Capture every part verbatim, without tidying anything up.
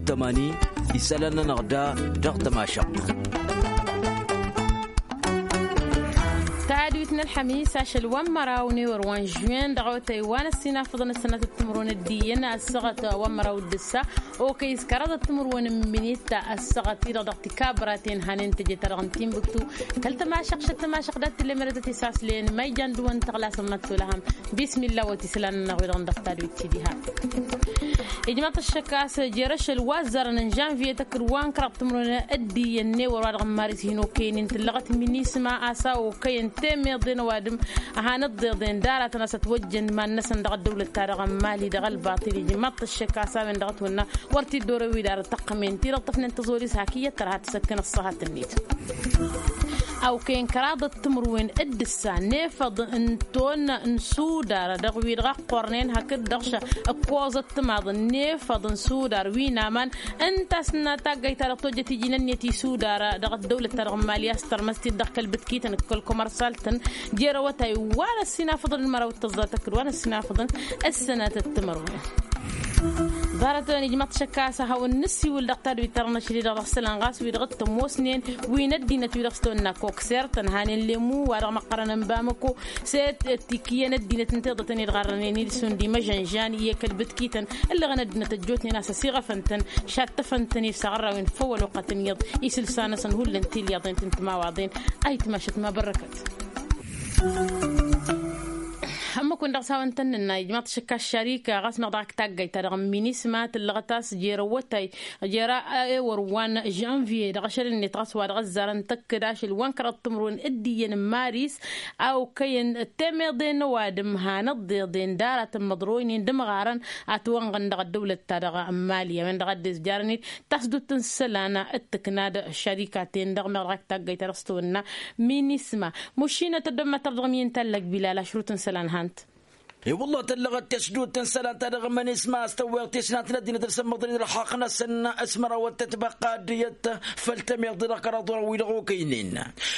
Tămani isălan-nănăɣ da dăɣ-tămašăɣt. Tadwit n-ălḥămis ašăl wa n-măraw n-ewăr wa n-žuwen dăɣ-awătay wa n-ăssinafăḍăn ăssănatăt timǝrwen ăddiyyăn ăssaɣăt wa n-măraw d-ǝssa. Okăy s-kăraḍăt timǝrwen n-minit ăssaɣăt-i-dăɣ dăɣ-tikabăraten hanen tăje-ta-dăɣ n-tinbǝktu. Kăl-tămašăɣt šăt tămašăɣt dat-tǝllemădătăt isaslen ma ijan dăɣ-wăn tăɣlasăn măttolăhăm. Bismilla wăt isălan-nănăɣ wi-dăɣ n-dăɣ tadwit-ti diha. Ijmaḍ-t ăššăk a-s jer-ašăl wa ăzzarăn n-žănviye tăkk-dd wa n-kăraḍ timǝrwen d-iyyăn n-ewăr wa dăɣ-n maris hin-okăynen tǝllăɣăt minisma a-s a okăyăn temeḍen ăwadǝm. Ăhanăt ḍeḍen d-aratăn a-s ătwăjjăn iman-năsăn dăɣ-ăddăwlăt-ta-dăɣ n-mali dăɣ-ălbaṭil ijmaḍ-t ăššăk a-s a-wen dăɣ-ătwănna wăr t-dd-orăw idarăt tăqqămen-ti-dăɣ tăfnen tăẓoli s-hak iyyăt tărha tǝsăkkăn ăṣṣăhat-net. A okăyăn kăraḍăt timǝrwen d-ǝssa n-efăḍ n-tonna n-sudar dăɣ-wi-dăɣ ăqqornen hakd-dăɣ ša ǝkkoẓăt timaḍ n-efăḍ n-sudar wi n-aman. Ǝnta a-s n-taggayt-ta-dăɣ tojjăt iji n-ǝnniyăt isudar dăɣ-ăddăwlăt-ta-dăɣ n-mali a-s tărmăs-t-dd dăɣ-kăl-bǝtkităn d-kăl-komărsalt-tăn jer-awătay wa n-ăssinafăḍăn d-măraw d-tăẓẓa tăkk-dd wa n-ăssinafăḍăn ăssănatăt timărwen. Ḍarăt-wen ijmăḍ-t šăkk a-s ad-hawăn-nǝssiwǝl dăɣ-tadwit-ta-dăɣ n-ašăl-i-dăɣ dăɣ-isălan ɣas wi-dăɣ t-ămoosnen wi n-ăddinăt wi-dăɣ s-tăwănna koksert ănhanen lemu wa dăɣ-măqqărăn n-bamăko. S-e-t tikiyyăn ăddinăt n-tiḍătăn i-dd-ɣarrănen ilsun d-imăžănžan i-kăl-bǝtkităn ǝllăɣăn ăddinăt ăjjootnen a-s ăsiɣăfăn-tăn šattăfăn-tăn i-s aɣărrawen făw ăloqătăn iyyăḍ isǝlsa-năsăn hullan tilyaḍen tǝntǝmawaḍen. Ayǝtmašăt ma bărrăkăt. Ămmăkun dăɣ-s hawăn-tăn-nǝnna ijmaḍ-t šăkka ăššarika ɣas meɣ dăɣ-ak taggayt-ta-dăɣ n-minisma tǝllăɣăt a-s jer-awătay jer-ewăr wa n-žănviye dăɣ-ašăl-net ɣas wa dăɣ-ăzzarăn tăkk-dd ašăl wa n-kăraḍ timǝrwen d-iyyăn n-maris. A okăyăn temeḍe n-ăwadǝm hanăt-ḍeḍen d-aratăn măḍroynen d-ămɣarăn atwănɣăn dăɣ-ăddăwlăt-ta-dăɣ n-mali a-wen-dăɣ a dd-ăzjarăn-dd tasdut n-isălan d-tǝkna d-ăššarikaten-dăɣ meɣ dăɣ-ak taggayt-ta-dăɣ s-tăwănna minisma. Mušinăt ăddommătăr dăɣ-mi n-tallăg bilal ašrut n-isălan hant. I-wălla tăllăɣăt tesdut n-isălan-ta-dăɣ minisma a-s tăwweɣ tisnat n-ăddinăt d-sămmăḍări d-ălxaqq-năsăn s-mărawăt tătbăqqa ăddiyăt făll-temeḍe dăɣ-kăraḍ-wărăn wi-dăɣ okăynen.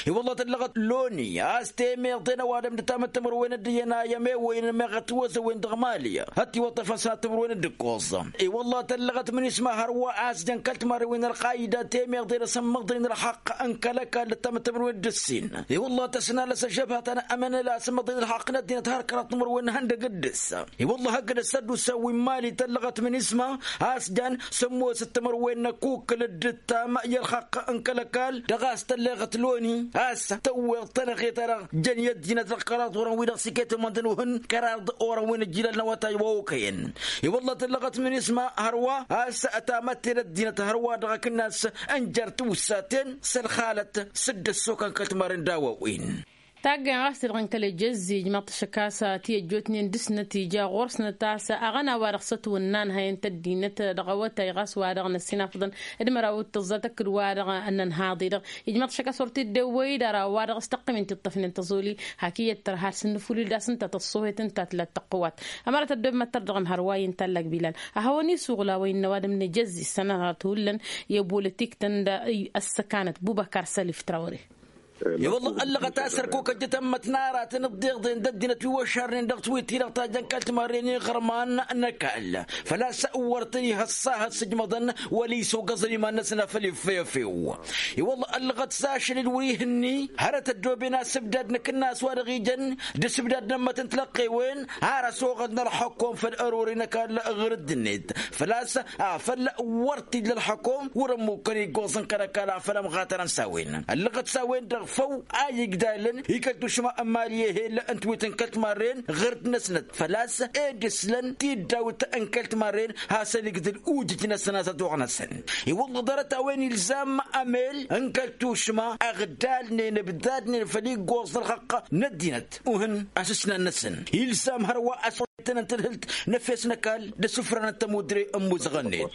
I-wălla tăllăɣăt loni a-s temeḍe n-ăwadǝm d-tamǝttămărwen d-iyyăn a i-ămewăyăn meɣ ătwăzăwen dăɣ-mali ătiwăṭṭăfăn sănat timǝrwen d-ǝkkoẓ. I-wălla tăllăɣăt minisma hărwa a-s jăn kăl-timarren wi n-ălqayda temeḍe d-asǝmmăḍări n-ălxaqq n-kăl-ăkall d-tamǝttămărwen d-ǝssin. I-wălla tăsnalăs ăžžăbhatăn ămănăla asǝmmăḍări n-ălxaqq n-ăddinăt har kăraḍ timǝrwen ihăndăg d-ǝssa. I-wălla hăggădăt s-ăddusa wi n-mali tăllăɣăt minisma a-s jan sămmosăt timǝrwen n-ăkukǝl d-ǝttam i-ălxaqq n-kăl-ăkall dăɣ-a-s tălleɣăt loni a-s tăwweḍ tănăɣe-ta-dăɣ jăn i-ăddinăt dăɣ-kăraḍ orăn-wi-dăɣ s-iket ămăndăn ohǝn kăraḍ orăn wi n-ǝjjilal n-awătay wa okăyăn. I-wălla tăllăɣăt minisma hărwa a-s ătamătte n-ăddinăt hărwa dăɣ-akǝnnas n-jer-tiwǝssaten s-ălxalăt s-dd-ăssokăn kăl-timarren d-a-wa-wen. Taggăyăn ɣas-t-dăɣ n-kăl-ejăzzij măṭṭăšăk a-s ti-ăjjootnen dăr-snăt ija ɣur-snăt a-s aɣăna wa dăɣ-s ătwănna ănhăyăn-t ăddinăt dăɣ-awătay ɣas wa dăɣ-năssinafăḍăn d-măraw d-tăẓẓa tăkk-dd wa dăɣ-nănhaḍ-i-dăɣ. Ijmăḍ-t šăkk a-s wăr t-dd-ewwăy d-ara wa dăɣ-s tăqqim-in tiṭṭăfnen tăẓoli. Hak iyyăt tărha s-ǝnnǝfulil d-asǝnta tăṣṣuhet ǝnta tǝla d-tăqqǝwat. Ămăra tăddob măttăr dăɣ-imhărway n-tallag bilal ad-hawăn-isuɣǝl a-wa innă ăwadǝm n-ejăzzi s-ănănat hullan i-ăbolitik-tăn d-ăssăkanăt bubăkar sălif trawre. I-wălla ăllăɣăt a-s ărkuk ăjjătăn mătnaratăn ǝḍḍeḍen d-ăddinăt wi wăšarnen dăɣ-tiwit-ti-dăɣ ta jăn kăl-timarren iɣărman n-ăkall făl-a-s wăr tăn-ih ăṣṣahăt s-ǝjmăḍăn wăla isogăẓăn iman-năsăn afăl iffăy efew. I-wălla ăllăɣăt s-ašăl-dd wi-hǝnni hărăt ăddooben asǝbdad n-akǝnnas wa dăɣ-ijăn d-asǝbdad n-ămmăt n-tilăqqewen har ăsoɣăd n-ălxăkom făll-ărori n-ăkall ɣǝr-dd-net făl-a-s afăl wăr t-illa ălxăkom wăr-ămmukkăn iggoẓ n-kăl-ăkall afăl ămɣatărăn s-a-wen ăllăɣăt s-a-wen-dăɣ făw a igdalăn i-kăl-tušma n-mali ehel n-tiwit n-kăl-timarren ɣǝr-dd-năsnăt făl-a-s ed ǝslăn tiddawt n-kăl-timarren hasăn-igdǝl ujǝj-năsăn a-s ătoɣ-năsăn. I-wălla ḍarăt a-wen ilzam amel n-kăl-tušma ăɣdalnen ǝbdadnen făll-iggoẓ n-ălxăqq n-ăddinăt uhǝn asǝsnan-năsăn ilzam hărwa ăswăytăn n-tadhǝlt n-efes n-ăkall d-asǝfran n-tămudre n-imuzăɣăn-net.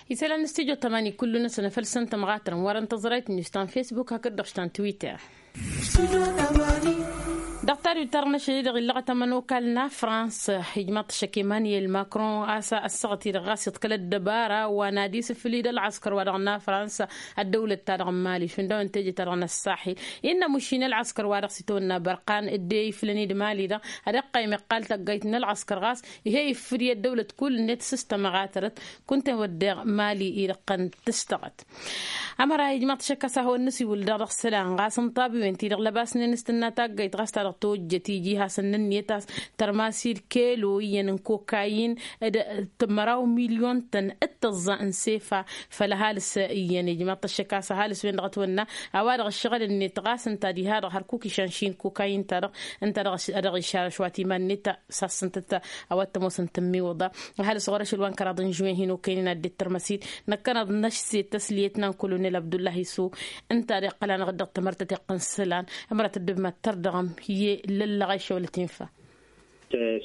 Isălan n-stujo tămani kullu-năsăn afăl s-ăntămɣatărăn wărăn tăẓrayt n-istan facebook hakd-dăɣ s-tan twitter. Dăɣ-ta Wi tarnăšăl-i-dăɣ illăɣăt ămănokal n-afrans ijmaḍ-t ăššăk emanyel makron a-s ăssaɣăt-i-dăɣ ɣas iḍkăl ăddăbara wa n-ad-isǝfǝl-dd ălɣăskăr-wa-dăɣ n-afrans. Ăddăwlăt-ta-dăɣ n-mali šund a-wen teje-ta-dăɣ n-ăṣṣaḥi innă mušin ălɣăskăr-wa-dăɣ s-itawănna bărqan dd-e-iflăn-dd mali-dăɣ ad-iqqăym iqqal tăggayt n-ălɣăskăr ɣas ih'-e ifǝd i-ăddăwlăt kull-net s-s tămăɣatărăt. Kunta-en wădden mali-i-dăɣ tăn-tǝstăɣăt. Ămăra ijmaḍ-t ăššăk a-s ad-hawăn-nǝsiwǝl daɣ dăɣ-isălan ɣas n-iṭṭabiwen-ti-dăɣ lăbasnen s-tǝnna taggayt ɣas ta-dăɣ tojjăt iji hasăn-nǝnniyăt a-s tărmas-dd kelo iyyăn n-kokayin d-măraw milyon-tăn d-tăẓẓa n-sefa. Făll-ăhalǝs iyyăn ijmaḍ-t ăššăk a-s ăhalǝs-wen-dăɣ ătwănna a-wa-dăɣ ǝššăɣǝl-net ɣas ǝnta diha-dăɣ hărkuk išănši n-kokayin-ta-dăɣ ǝnta a dăɣ-išarăš wa timan-net ta sassăn-tăt a-wa t-ămoosăn tǝmmiwǝḍa. Ăhalǝs ɣur-ašăl wa n-kăraḍ n-žuwen hin-okăynen ad-dd-tărmăs-dd năkkăneḍ năšset tăsliyăt n-ankălo n-ălabdullahi s-u ǝnta a deɣ qălanăɣ-dd dăɣ-tamărtăt iqqǝn isălan. Ămăra tăddobem ad-tărdăɣăm i-lăllăɣ a išăwlăt infa.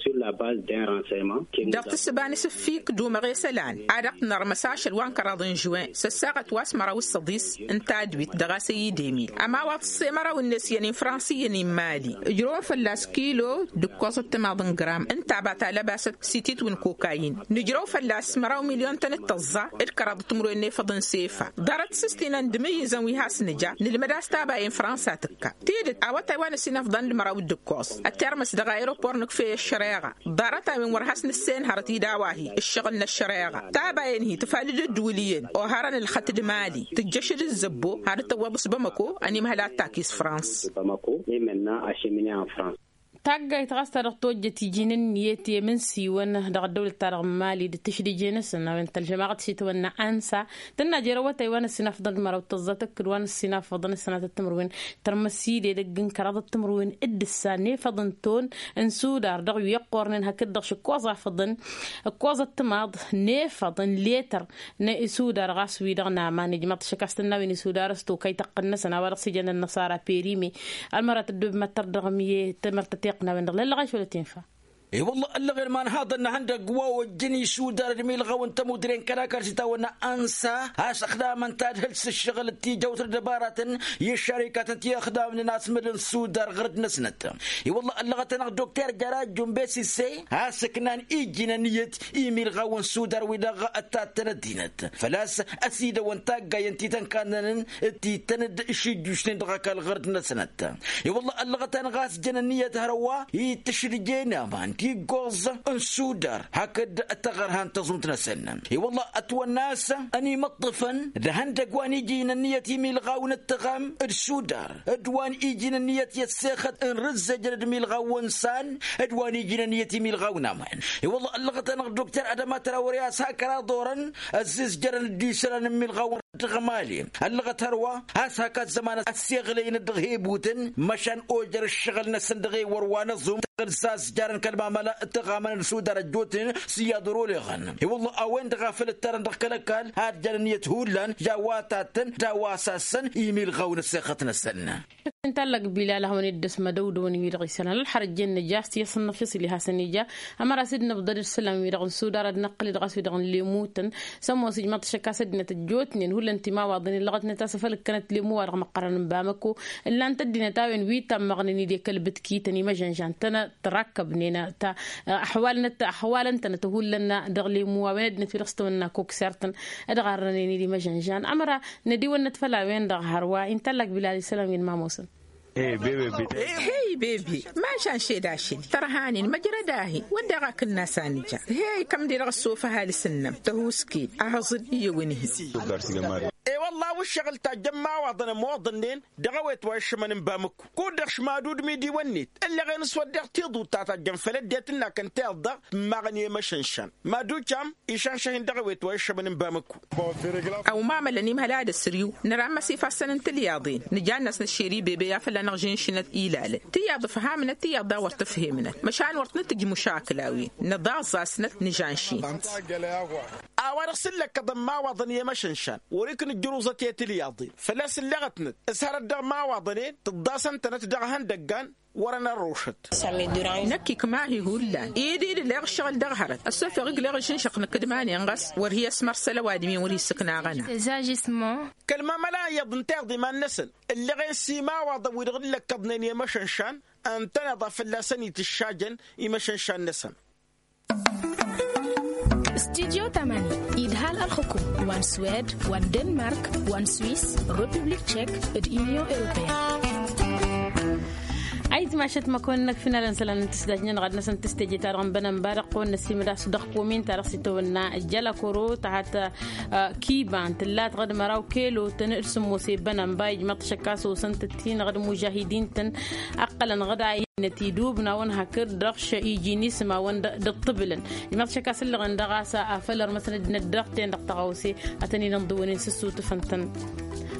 Sur la base d'un renseignement. Dăɣ-tǝssǝba n-asǝffik d-umăɣ i-isălan a dăɣ-t nărmăs ašăl wa n-kăraḍ n-žuwen s-ăssaɣăt wa s-măraw s-săḍis n-tadwit dăɣ-asăy idemil ămawaḍ s-emăraw-net iyyăn i-fransa iyyăn i-mali. Ǝjrăwăn fălla-s kilo d-ǝkkoẓăt timaḍ n-gram ǝnta a ba talăbasăt s-ititwǝn kokayin. Nǝjrăw fălla-s măraw milyon-tăn d-tăẓẓa d-kăraḍ timǝrwen n-efăḍ n-sefa. Ḍarăt s-ǝstinăn d-imǝyyǝzăn wi has-nǝja nǝlmăd a-s tabayăn fransa tǝkka tidǝt awătay wa n-ăsinăfḍăn d-măraw d-ǝkkoẓ ătermăs dăɣ-aeropor nǝkfey ăššăreɣa. Ḍarăt-a-wen wăr has-nǝssenhărăt-dd a-wa-hi ǝššăɣǝl n-ăššăreɣa tabayăn-hi tǝfalăd ăddǝwǝl iyyăn oharăn ǝlxăt d-mali tǝjjăšăd ǝzzăbbo. Had-dd-tăwwăḍ s-bamăko ănimhăl ad-takis frans. Bamăko. Imǝnna ašimǝne ănfrans. Taggayt ɣas ta dăɣ-tojjăt iji n-ǝnniyăt i-imǝnsiwăn dăɣ-ăddăwlăt-ta-dăɣ n-mali d-tǝšdǝje-năsăn a-wen tălžămaɣăt s-itwănna ansa tǝnna jer-awătay wa n-ăssinafḍăn d-măraw d-tăẓẓa tǝkkǝd wa n-ăssinafḍăn d-sănatăt timǝrwen. Tărmăs-dd edăgg n-kăraḍăt timǝrwen d-ǝssa n-efăḍ n-ton n-sudar dăɣ-wi ăqqornen hakd-dăɣ šǝkkoẓ afăḍăn ǝkkoẓăt timaḍ n-efăḍ n-letăr n-isudar ɣas wi-dăɣ n-aman ijmaḍ-t šăkastăn n-a-wen isudar s-tokay tăqqăn-năsăn a-wa dăɣ-s ijăn ănnăṣara perime. Ălmărat ăddob mad-tărdăɣăm i-tamărtăt iqqǝn a-wen-dăɣ lăllăɣ ašăl ătenfa. I-wălla ăllăɣen imanhaḍăn n-ehăndăgg wa ojjăn isudar d-imilɣaw n-tămudre n-kărakar s-itawănna ansa a-s ăxdamăn tadhǝlt s-ǝššăɣǝl d-tijăwt d-ăbaratăn i-ăššarikatăn ti ăxdamnen asmǝl n-sudar ɣăr-dd-năsnăt. I-wălla ăllăɣăt-anăɣ dokter jara jumbe sisse a-s ǝknan iji n-ăniyăt imilɣaw n-sudar wi-dăɣ ăttattăn ăddinăt făl-a-s ăsidăwăn taggayăn ti tăn-kannănăn d-tităn-dd šǝjjušnen dăɣ-ăkall ɣăr-dd-năsnăt. I-wălla ăllăɣăt-anăɣ a-s jăn ǝnniyăt hărwa i-tǝšrǝje n-aman tiggoẓ n-sudar hakd taɣărha n-taẓunt-năsăn. I-wălla ătwănna a-s ănimǝṭṭǝfăn d-ehăndăgg wa n-iji n-ǝnniyăt imilɣaw n-ǝttăɣam d-sudar d-wa n-iji n-ǝnniyăt i-ăssexăt n-rǝzzejăn d-imilɣaw n-san d-wa n-iji n-ǝnniyăt imilɣaw n-aman. I-wălla ăllăɣăt-anăɣ dokter adăma trawăre a-s hak ăraḍ orăn ăzzizjărăn d-isălan n-imilɣaw dăɣ-mali. Ăllăɣăt hărwa a-s hak ăzzăman ăssiɣlăyăn-dd dăɣ-hebutăn măšan ojăr ǝššăɣǝl-năsăn dăɣ-ewăr wa n-ăẓum d-sazjarăn kăl-mamăla d-tăɣamăn n-sudar ăjjootnen s-iyyăḍ ăruleɣăn. I-wălla a-wen-dăɣ a făl ǝttarăn dăɣ-kăl-ăkall ad-jăn ǝnniyăt hullan j-a-wa tattăn d-a-wa sassăn imilɣaw n-ăssexăt-năsăn. Ǝnta ăllăɣ bilal ad-hawăn-dd-ăsmădăwdăwăn wi-dăɣ isălan ălxărăt jenne ja a-s tiyyăṣ n-inăfyăṣ ila hasăn-ija. Ămăra a-s dd-nǝbḍăd d-isălan wi-dăɣ n-sudar ad-năqqǝl-dd ɣas wi-dăɣ n-lemutăn s-ămoos ijmăḍ-t šăkkas ăddinăt ăjjootnen hullan timawaḍen illăɣătnet a-s ăfăl ǝkkănăt lemu wa dăɣ-măqqărăn n-bamăko. Ǝllan-t ăddinăt a-wen wi tammăɣnen i-dd-e-kăl-bǝtkităn imăžănžan tănăt tărakkăbnen ta ăxwalăn-tănăt ăxwalăn-tănăt hullan dăɣ-lemu a-wen ăddinăt wi dăɣ-s tăwănna kok sertăn. Ădɣarrănen-dd imăžănžan ămăra nădiwănnăt făll-a-wen-dăɣ hărwa inta ăllăɣ bilal isălan wi n-mamosăn. Hey bebe, mašan šed ašăl tărhanen măjrăd-ahi wădden akǝnnas a nǝja. Hey kămde-dăɣ ăssofăh alǝs ǝnnăm tăhusked ahăẓ-dd iyyăw ǝnhǝy. E-wălla a-wa ǝššăɣǝl tajjăn imawaḍăn ămoḍănnen dăɣ-ewet wa iššămăn n-bamǝkku kud-dăɣ š-mad-udmi d-iwănnet ǝllăɣen s-wădden tiḍut ta tajjăn făll-ăddinăt n-akăn tiḍa. Tǝmmaɣăn i-emăšănšan mad-ucam išănšăh-in dăɣ-ewet wa iššămăn n-bamǝkku. Ăwmamălăn imhăl ad-ăsriw nărammăs ifassăn n-tilyaḍen nǝja-năsnăt šeri bebe i-ad-fălla-năɣ žǝnšǝnăt ilalăn tiyaḍ ǝfhamnăt tiyaḍ daɣ wăr t-ǝfhemnăt măšan wăr t-nǝtǝj mušakǝl a-wen nǝḍaẓẓasnăt nǝžanšin. A-wa-dăɣ s-ǝllăkkăḍăn imawaḍăn i-emăšănšan wăr-iknǝjjăr uẓăt i-tilyaḍen făl-a-s ǝlleɣătnăt s-hărăt dăɣ-imawaḍăn-en tǝḍḍasăn-tănăt dăɣ-ihăndăggan. wăr-ănărrušăt. Năkk ikmahi hullan idil leɣ ǝššăɣǝl dăɣ-hărăt ăssofeɣ igleɣ ǝššǝnšăq năkk d-iman-en ɣas wăr hi-ăsmărsăl ăwadǝm-in wăr-hi-ǝssǝknaɣ ăna. Kăl-mamăla iyyăḍ n-tiḍiman-năsăn ǝlleɣen s-imawaḍăn wi-dăɣ dd-lăkkăḍnen i-emăšănšan ǝntăneḍ a fălla-săn itǝššajăn imăšănšan-năsăn. Studyo tamani idhal ălxukum wa n-swed wa n-denmark wa n-swis, republik tšek, d-inyon europeyăn. Ayǝtmašăt măkon-năk finalăn isălan n-tǝsdajnen ɣad-năsăn tǝsteje-ta-dăɣ n-bănănba dăɣ-kăwăn-năsimǝd a-s dăɣ-komin-ta-dăɣ s-itawănna jălăkoro tăhat. Kiba n-tǝllat ɣad măraw kelo-tăn d-sǝmmose bănănba ijmăḍ-t šăkk a-s osăn-tăt-in ɣad mužahidin-tăn. Ăqqălăn ɣad a innăt idub n-a-wăn hakd dăɣ-š iji n-ismawăn d-ǝṭṭǝbǝlăn. Ijmăḍ-t šăkk a-s ǝllăɣăn dăɣ-a-s a făl ărmăsăn ăddinăt dăɣ-ten dăɣ-tăɣawse. Ad-tăn-in-ǝnḍǝwăn-in s-ǝssutǝfăn-tăn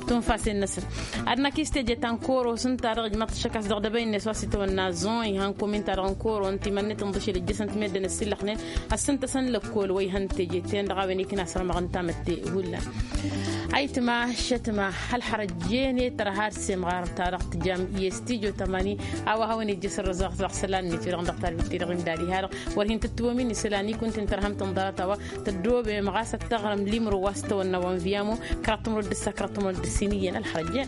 tunfasen-năsăn. Ad-năkk istejăt ta n-koro s-ǝnta-dăɣ ijmăḍ-t šăkk a-s dăɣ-dăbăynet wa s-itawănna zon ihăn komin-ta-dăɣ n-koro ǝnta iman-net ǝnḍǝšel ǝjjăsăn timedden ăsillăxnen. Ăssǝntăsăn lăkkol wa ihăn teje-ten-dăɣ a-wen ikna asărmăɣ ǝnta mătte hullan. Ayǝtma šătma hălxărăjjen i-tărha d-semɣar ta-dăɣ tǝjam i-studyo tamani. A-wa hawăn-ijjăš ărrăẓăɣ dăɣ-isălan-net wi-dăɣ dăɣ-tarbit-ti-dăɣ imdad iha-dăɣ wăr hin-tǝttǝwăm-in isălan ikun-tǝn tărhăm tǝnḍarăt a-wa tăddoobem ɣas ad-tăɣrăm limro wa s-tăwănna wa n-viyamo. Kăraḍ tămrăwăt d-ǝssa kăraḍ tămrăwăt d-ǝssin iyyăn ălxărăjjen.